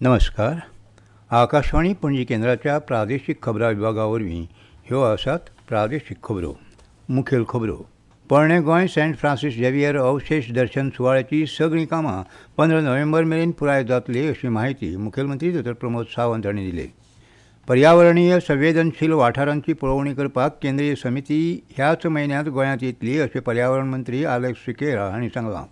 नमस्कार. आकाशवाणी पणजी केंद्राच्या प्रादेशीक खबरां विभागा वरवीं ह्यो आसात प्रादेशीक खबरो. मुखेल खबरो. पोरणें गोंय सेंट फ्रांसीस झेवियर अवशेश दर्शन सुवाळ्याची सगळीं कामां 15 नोव्हेंबर मेरेन पुराय जातली अशी म्हायती मुखेलमंत्री डॉ. प्रमोद सावंत हांणी दिली. पर्यावरणीय संवेदनशील वाठारांची पळोवणी करपाक केंद्रीय समिती ह्याच म्हयन्यांत गोंयांत येतली अशें पर्यावरण मंत्री आलेक्स सिकेरा हांणी सांगलां.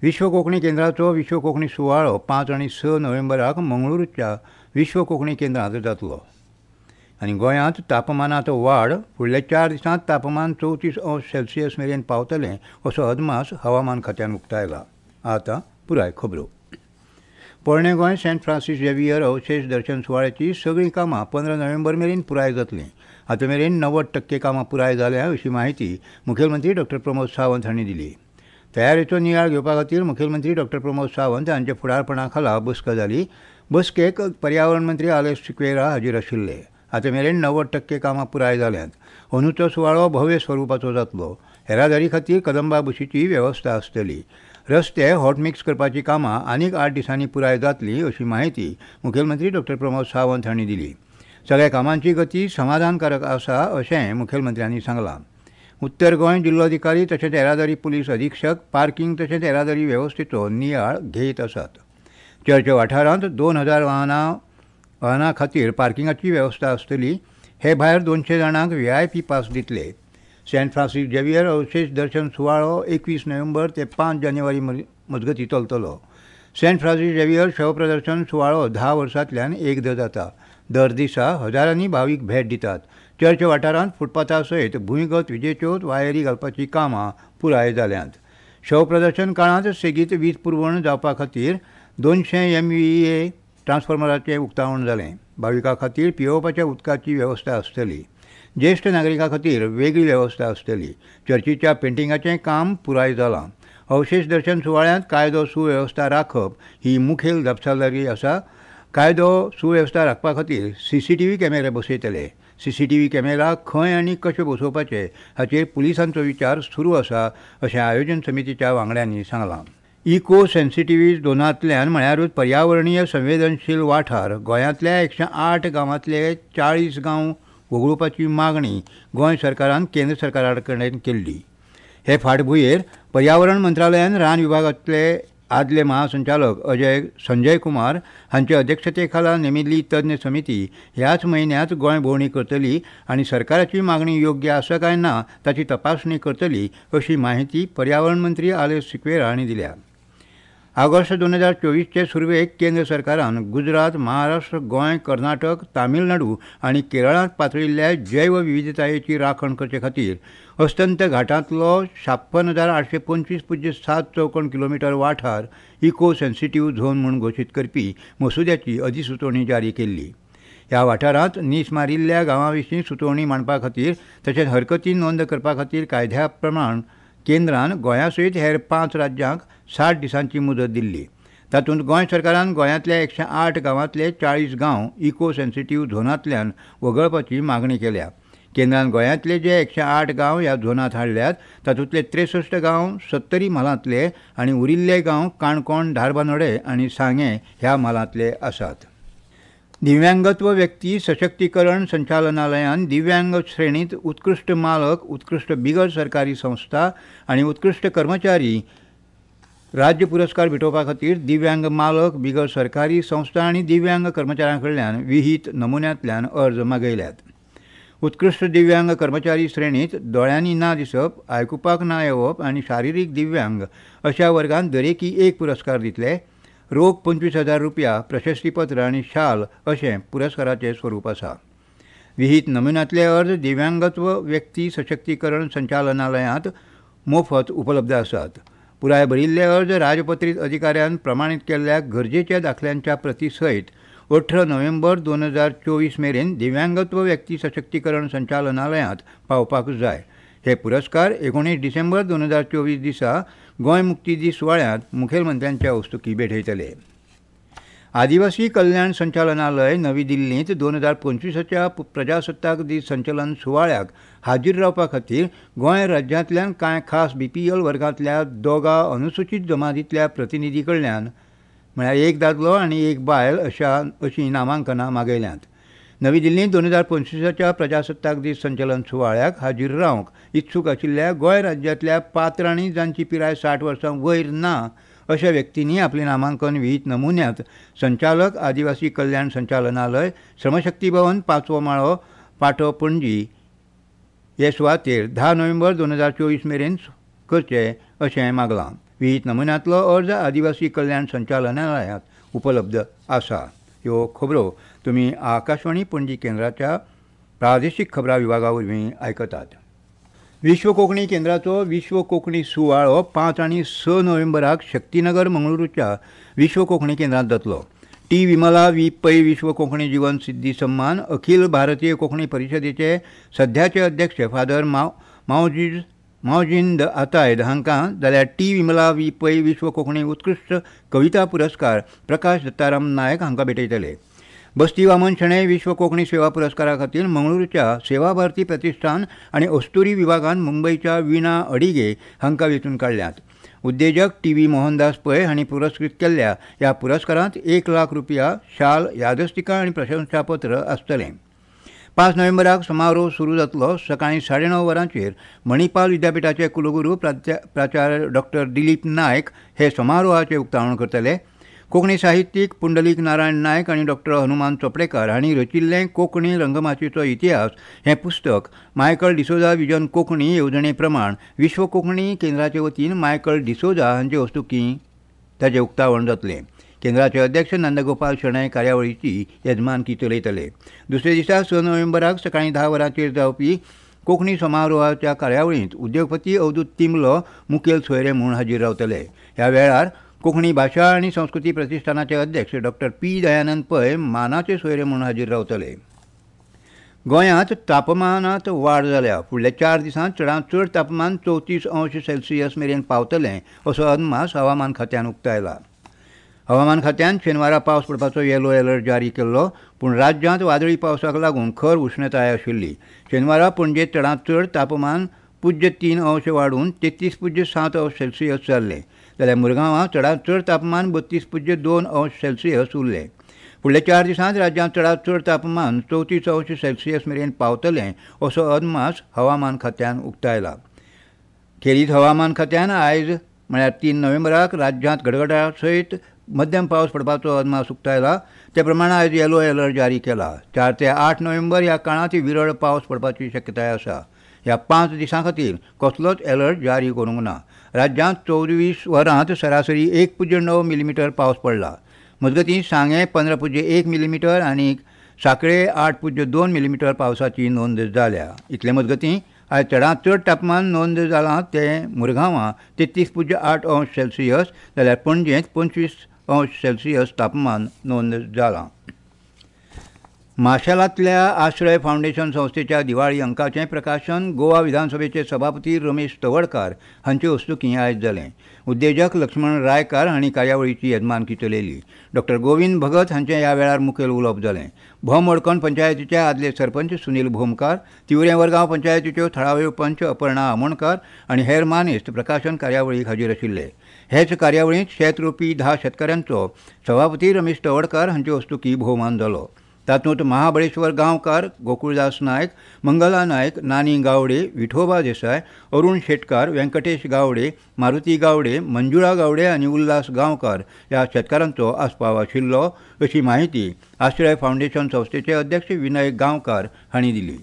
विश्व कोंकणी केंद्राचो विश्व कोंकणी सुवाळो 5 आनी 6 नोव्हेंबराक मंगळुरूच्या विश्व कोंकणी केंद्रांत जातलो. आनी गोंयांत तापमानांत वाड, फुडल्या 4 दिसांत तापमान 34 अंश सेल्सियस मेरेन पावतलें असो अदमास हवामान खात्यान उक्तायला. आतां पुराय खबरो. पोरणें गोंय सेंट फ्रांसीस झेवियर अवशेश दर्शन सुवाळ्याची सगळीं कामां 15 नोव्हेंबर मेरेन पुराय जातलीं. आतां मेरेन 90% कामां पुराय जाल्या अशी म्हायती मुखेलमंत्री डॉ. प्रमोद सावंत हांणी दिली. तयारेचो नियाळ घेवपा खातीर मुखेलमंत्री डॉ. प्रमोद सावंत हांच्या फुडारपणा खाला बसका जाली. बसकेक पर्यावरण मंत्री आलेक्स सिक्वेरा हाजीर आशिल्ले. आतां मेरेन 90% कामां पुराय जाल्यांत. अंदूचो सुवाळो भव्य स्वरुपाचो जातलो. येरादारी खातीर कदंबा बशीची वेवस्था आसतली. रस्ते हॉटमिक्स करपाची कामां आनीक 8 दिसांनी पुराय जातली अशी म्हायती मुखेलमंत्री डॉ. प्रमोद सावंत हांणी दिली. सगळ्या कामांची गती समाधानकारक आसा अशें मुखेलमंत्र्यांनी सांगलां. उत्तर गोंय जिल्लोधिकारी तशेंच येरादारी पुलीस अधिक्षक पार्किंग तशेंच येरादारी वेवस्थेचो नियाळ घेत आसात. चर्च वाठारांत 2000 वाहनां खातीर पार्किंगाची वेवस्था आसतली. हे भायर 200 जाणांक व्हीआयपी पास दितले. सेंट फ्रांसीस झेवियर अवशेश दर्शन सुवाळो 21 नोव्हेंबर ते 5 जानेवारी मजगतीं चलतलो. सेंट फ्रांसीस झेवियर शवप्रदर्शन सुवाळो 10 वर्सांतल्यान एकदां जाता. दर दिसा हजारांनी भावीक भेट दितात. चर्च वाठारांत फुटपाथा सयत भूंयगत विजेच्यो वायरी घालपाची कामां पुराय जाल्यांत. शवप्रदर्शन काळांत सेगीत वीज पुरवण जावपा खातीर 200 MVA ट्रान्सफॉर्मराचें उक्तावण जालें. भाविकां खातीर पियेवपाच्या उदकाची वेवस्था आसतली. ज्येश्ठ नागरिकां खातीर वेगळी वेवस्था आसतली. चर्चीच्या पेंटिंगाचें काम पुराय जालां. अवशेश दर्शन सुवाळ्यांत कायदो सुवेवस्था राखप ही मुखेल जापसालदारकी आसा. कायदो सुवेवस्था राखपा खातीर सीसीटीव्ही कॅमेरे बसयतले. सीसीटीव्ही कॅमेरा खंय आनी कशे बसोवपाचे हाचेर पुलिसांचो विचार सुरू आसा अशें आयोजन समितीच्या वांगड्यांनी सांगलां. इको सेन्सिटिव्ह झोनांतल्यान म्हळ्यारूच पर्यावरणीय संवेदनशील वाठार गोंयांतल्या 108 गांवांतले 40 गांव वगळुपाची मागणी गोंय सरकारान केंद्र सरकारा कडेन केल्ली. हे फाटभुंयेर पर्यावरण मंत्रालयान रान विभागांतले आदले महासंचालक संजय कुमार हांचे अध्यक्षते खाला नेमिल्ली तज्ञ समिती ह्याच म्हयन्यांत गोंय भोंवडी करतली आनी सरकाराची मागणी योग्य आसा काय ना ताची तपासणी करतली अशी म्हायती पर्यावरण मंत्री आलेक्स सिक्वेरा हांणी दिल्या. ऑगस्ट 2024चे सुरवेक केंद्र सरकारान गुजरात, महाराष्ट्र, गोंय, कर्नाटक, तामिळनाडू आनी केरळांत पातळिल्ल्या जैवविविधतायेची राखण करचे खातीर अस्तंत घाटांतलो 56,825.7 चौखण किलोमिटर वाठार इको सेन्सिटिव्ह झोन म्हूण घोशीत करपी मसुद्याची अधिसुचोवणी जारी केल्ली. ह्या वाठारांत नीस मारिल्ल्या गांवां विशीं सुचोवणी मांडपा खातीर तशेंच हरकती नोंद करपा खातीर कायद्या प्रमाण केंद्रान गोंया सयत हेर 5 राज्यांक 60 दिसांची मुदत दिल्ली. तातूंत गोंय सरकारान गोंयांतल्या 108 गांवांतले 40 गांव इको सेन्सिटिव्ह झोनांतल्यान वगळपाची मागणी केल्या. केंद्रान गोंयांतले जे 108 गांव ह्या झोनांत हाडल्यात तातूंतले 63 गांव सत्तरी म्हालांतले आनी उरिल्ले गांव काणकोण, धारबांदोडें आनी सांगें ह्या म्हालांतले आसात. दिव्यांगत्व व्यक्ती सशक्तीकरण संचालनालयान दिव्यांग श्रेणींत उत्कृश्ट मालक, उत्कृश्ट बिगर सरकारी संस्था आनी उत्कृश्ट कर्मचारी राज्य पुरस्कार भेटोवपा खातीर दिव्यांग मालक, बिगर सरकारी संस्था आनी दिव्यांग कर्मचाऱ्यां कडल्यान विहीत नमुन्यांतल्यान अर्ज मागयल्यात. उत्कृश्ट दिव्यांग कर्मचारी श्रेणींत दोळ्यांनी ना दिसप, आयकुपाक ना येवप आनी शारिरीक दिव्यांग अशा वर्गांत दरेकी 1 पुरस्कार दितले. रोख 25,000 रुपया, प्रशस्तीपत्र आनी शाल अशें पुरस्काराचें स्वरूप आसा. विहीत नमुन्यांतले अर्ज दिव्यांगत्व व्यक्ती सशक्तीकरण संचालनालयांत मोफत उपलब्ध आसात. पुराय भरिल्ले अर्ज राजपत्रीत अधिकाऱ्यान प्रमाणीत केल्ल्या गरजेच्या दाखल्यांच्या प्रती सयत 18 नोव्हेंबर 2024 मेरेन दिव्यांगत्व व्यक्ती सशक्तीकरण संचालनालयांत पावपाक जाय. हे पुरस्कार 19 डिसेंबर 2024 दिसा गोंय मुक्ती दीस सुवाळ्यांत मुखेलमंत्र्यांच्या हस्तुकीं भेटयतले. आदिवासी कल्याण संचालनालय नवी दिल्लींत 2025च्या प्रजासत्ताक दीस संचलन सुवाळ्याक हाजीर रावपा खातीर गोंय राज्यांतल्यान कांय खास बीपीएल वर्गांतल्या 2 अनुसूचीत जमातींतल्या प्रतिनिधी कडल्यान म्हळ्यार 1 दादलो आनी 1 बायल अशीं नामांकनां मागयल्यांत. नवी दिल्लींत 2025 प्रजासत्ताक दीस संचलन सुवाळ्याक हाजीर रावंक इत्सूक आशिल्ल्या गोंय राज्यांतल्या पात्र आनी जांची पिराय 60 वर्सां वयर ना अशा व्यक्तींनी आपलें नामांकन विहीत नमुन्यांत संचालक आदिवासी कल्याण संचालनालय, श्रमशक्ती भवन, 5वो माळो, पाटो, पणजी हे सुवातेर 10 नोव्हेंबर 2024 मेरेन करचे अशें मागलां. विहीत नमुन्यांतलो अर्ज आदिवासी कल्याण संचालनालयांत उपलब्ध आसा. ह्यो खबरो तुमी आकाशवाणी पणजी केंद्राच्या प्रादेशीक खबरां विभागा वरवीं आयकतात. विश्व कोंकणी केंद्राचो विश्व कोंकणी सुवाळो 5 आनी 6 नोव्हेंबराक शक्तीनगर मंगळुरूच्या विश्व कोंकणी केंद्रांत जातलो. टी विमला वी पै विश्व कोंकणी जीवन सिद्धी सम्मान अखिल भारतीय कोंकणी परिशदेचे सध्याचे अध्यक्ष फादर मावजींद आतायद हांकां, जाल्यार टी विमला वी पै विश्व कोंकणी उत्कृश्ट कविता पुरस्कार प्रकाश दत्ताराम नायक हांकां भेटयतले. बस्ती वामन शणै विश्व कोंकणी सेवा पुरस्कारा खातीर मंगळुरूच्या सेवा भारती प्रतिष्ठान आनी अस्तुरी विभागान मुंबयच्या वीणा अडिगे हांकां वेंचून काडल्यात. उद्देजक टी व्ही मोहनदास पै हांणी पुरस्कृत केल्ल्या ह्या पुरस्कारांत 1 लाख रुपया, शाल, यादस्तिका आनी प्रशंसापत्र आसतलें. 5 नोव्हेंबराक समारोह सुरू जातलो. सकाळीं 9:30 वरांचेर मणिपाल विद्यापिठाचे कुलगुरू प्राचार्य डॉक्टर दिलीप नायक हे समारोहाचें उक्तावण करतले. कोंकणी साहित्यीक पुंडलीक नारायण नायक आनी डॉक्टर हनुमान चोपडेकार हांणी रचिल्लें कोंकणी रंगमाचयेचो इतिहास हें पुस्तक मायकल डिसोजा विजन कोंकणी येवजणे प्रमाण विश्व कोंकणी केंद्राचे वतीन मायकल डिसोजा हांचे हस्तुकीं ताचें उक्तावण जातलें. केंद्राचे अध्यक्ष नंदगोपाल शणै कार्यावळीची येजमानकी चलयतले. दुसऱ्या दिसा 6 नोव्हेंबराक सकाळीं 10 वरांचेर जावपी कोंकणी समारोहाच्या कार्यावळींत उद्योगपती अवधूत तिंबलो मुखेल सोयरे म्हूण हाजीर रावतले. ह्या वेळार कोंकणी भाशा आनी संस्कृती प्रतिष्ठानाचे अध्यक्ष डॉक्टर पी दयानंद पै मानाचे सोयरे म्हूण हाजीर रावतले. गोंयांत तापमानांत वाड जाल्या. फुडल्या 4 दिसांत चडांत चड तापमान 34 अंश सेल्सियस मेरेन पावतलें असो अदमास हवामान खात्यान उक्तायला. हवामान खात्यान शेनवारा पावस पडपाचो येलो अलर्ट जारी केल्लो, पूण राज्यांत वादळी पावसाक लागून खर उश्णताय आशिल्ली. शेनवारा पणजेंत चडांत चड तापमान 0.3 अंश वाडून 33.7 अंश सेल्सियस जाल्लें, जाल्यार मुरगांवां चडांत चड तापमान 32.2 अंश सेल्सियस उरलें. फुडल्या 4 दिसांत राज्यांत चडांत चड तापमान 34 अंश सेल्सियस मेरेन पावतलें असो अदमास हवामान खात्यान उक्तायला. खेरीत हवामान खात्यान आयज म्हळ्यार 3 नोव्हेंबराक राज्यांत गडगडा सयत मध्यम पावस पडपाचो अदमास उक्तायला. ते प्रमाण आयज येलो अलर्ट जारी केला. 4 ते 8 नोव्हेंबर ह्या काळांत विरळ पावस पडपाची शक्यताय आसा. ह्या 5 दिसां खातीर कसलोच अलर्ट जारी करूंक ना. राज्यांत 24 वरांत सरासरी 1.9 मिलीमिटर पावस पडला. मजगतीं सांगें 15.1 मिलीमिटर आनी सांखळे 8.2 मिलीमिटर पावसाची नोंद जाल्या. इतले मजगतीं आयज चडांत चड तापमान नोंद जालां तें मुरगांवां 33.8 अंश सेल्सियस, जाल्यार पणजेंत 25 अंश सेल्सियस तापमान नोंद जालां. माशेलांतल्या आश्रय फावंडेशन संस्थेच्या दिवाळी अंकाचें प्रकाशन गोवा विधानसभेचे सभापती रमेश तवडकार हांचे हस्तुकीं आयज जालें. उद्देजक लक्ष्मण रायकार हांणी कार्यावळीची येजमानकी चलयली. डॉक्टर गोविंद भगत हांचें ह्या वेळार मुखेल उलोवप जालें. भोम मडकण पंचायतीचे आदले सरपंच सुनील भोमकार, तिवरें वरगांव पंचायतीच्यो थळाव्यो पंच अपर्णा आमोणकार आनी हेर मानेस्त प्रकाशन कार्यावळीक हाजीर आशिल्ले. हेच कार्यावळींत शेत रोवपी 10 शेतकारांचो सभापती रमेश तवडकार हांचे हस्तुकीं भोवमान जालो. तातूंत महाबळेश्वर गांवकार, गोकुळदास नायक, मंगला नायक, नानी गावडे, विठोबा देसाय, अरुण शेटकार, व्यंकटेश गावडे, मारुती गावडे, मंजुळा गावडे आनी उल्हास गांवकार ह्या शेतकारांचो आस्पाव आशिल्लो अशी माहिती आश्रय फावंडेशन संस्थेचे अध्यक्ष विनय गांवकार हांणी दिली.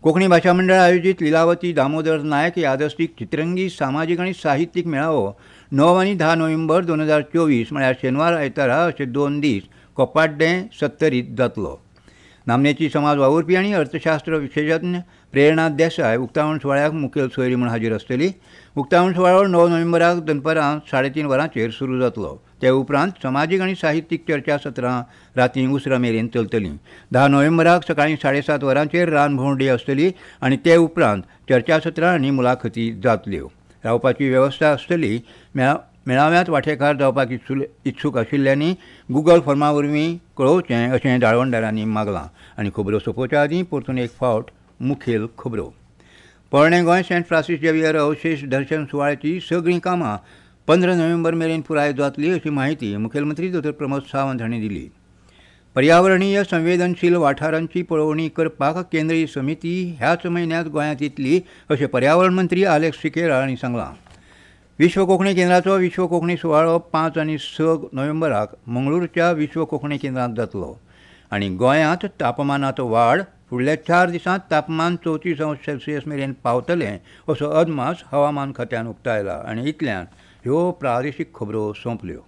कोंकणी भाशा मंडळ आयोजीत लिलावती दामोदर नायक यादस्तीक चित्रंगी सामाजीक आनी साहित्यीक मेळावो 9 आनी 10 नोव्हेंबर 2024 म्हळ्यार शेनवार आयतारा अशे 2 दीस कोपाड्डें सत्तरीत जातलो. नामनेची समाज वावुरपी आनी अर्थशास्त्र विशेशज्ञ प्रेरणा देसाय उक्तावण सुवाळ्याक मुखेल सोयरी म्हूण हाजीर आसतली. उक्तावण सुवाळो 9 नोव्हेंबराक दनपारां 3:30 वरांचेर सुरू जातलो. ते उपरांत समाजीक आनी साहित्यीक चर्चा सत्रां रातीं उसरां मेरेन चलतलीं. 10 नोव्हेंबराक सकाळीं 7:30 वरांचेर रान भोंवडी आसतली आनी ते उपरांत चर्चासत्रां आनी मुलाखती जातल्यो. रावपाची वेवस्था आसतली. मेळाव्यांत वांटेकार जावपाक इत्सूक आशिल्ल्यांनी गुगल फॉर्मा वरवीं कळोवचें अशें जाळवणदारांनी मागलां. आनी खबरो सोंपोवच्या आदीं परतून एक फावट मुखेल खबरो. पोरणें गोंय सेंट फ्रांसीस झेवियर अवशेश दर्शन सुवाळ्याची सगळीं कामां 15 नोव्हेंबर मेरेन पुराय जातली अशी म्हायती मुखेलमंत्री दोतोर प्रमोद सावंत हांणी दिली. पर्यावरणीय संवेदनशील वाठारांची पळोवणी करपाक केंद्रीय समिती ह्याच म्हयन्यांत गोंयांत येतली अशें पर्यावरण मंत्री आलेक्स सिकेरा हांणी सांगलां. विश्व कोंकणी केंद्राचो विश्व कोंकणी सुवाळो 5 आनी 6 नोव्हेंबराक मंगळूरच्या विश्व कोंकणी केंद्रांत जातलो. आनी गोंयांत तापमानांत वाड, फुडल्या 4 दिसांत तापमान 34 अंश सेल्सियस मेरेन पावतलें असो अदमास हवामान खात्यान उक्तायला. आनी इतल्यान ह्यो प्रादेशीक खबरो सोंपल्यो.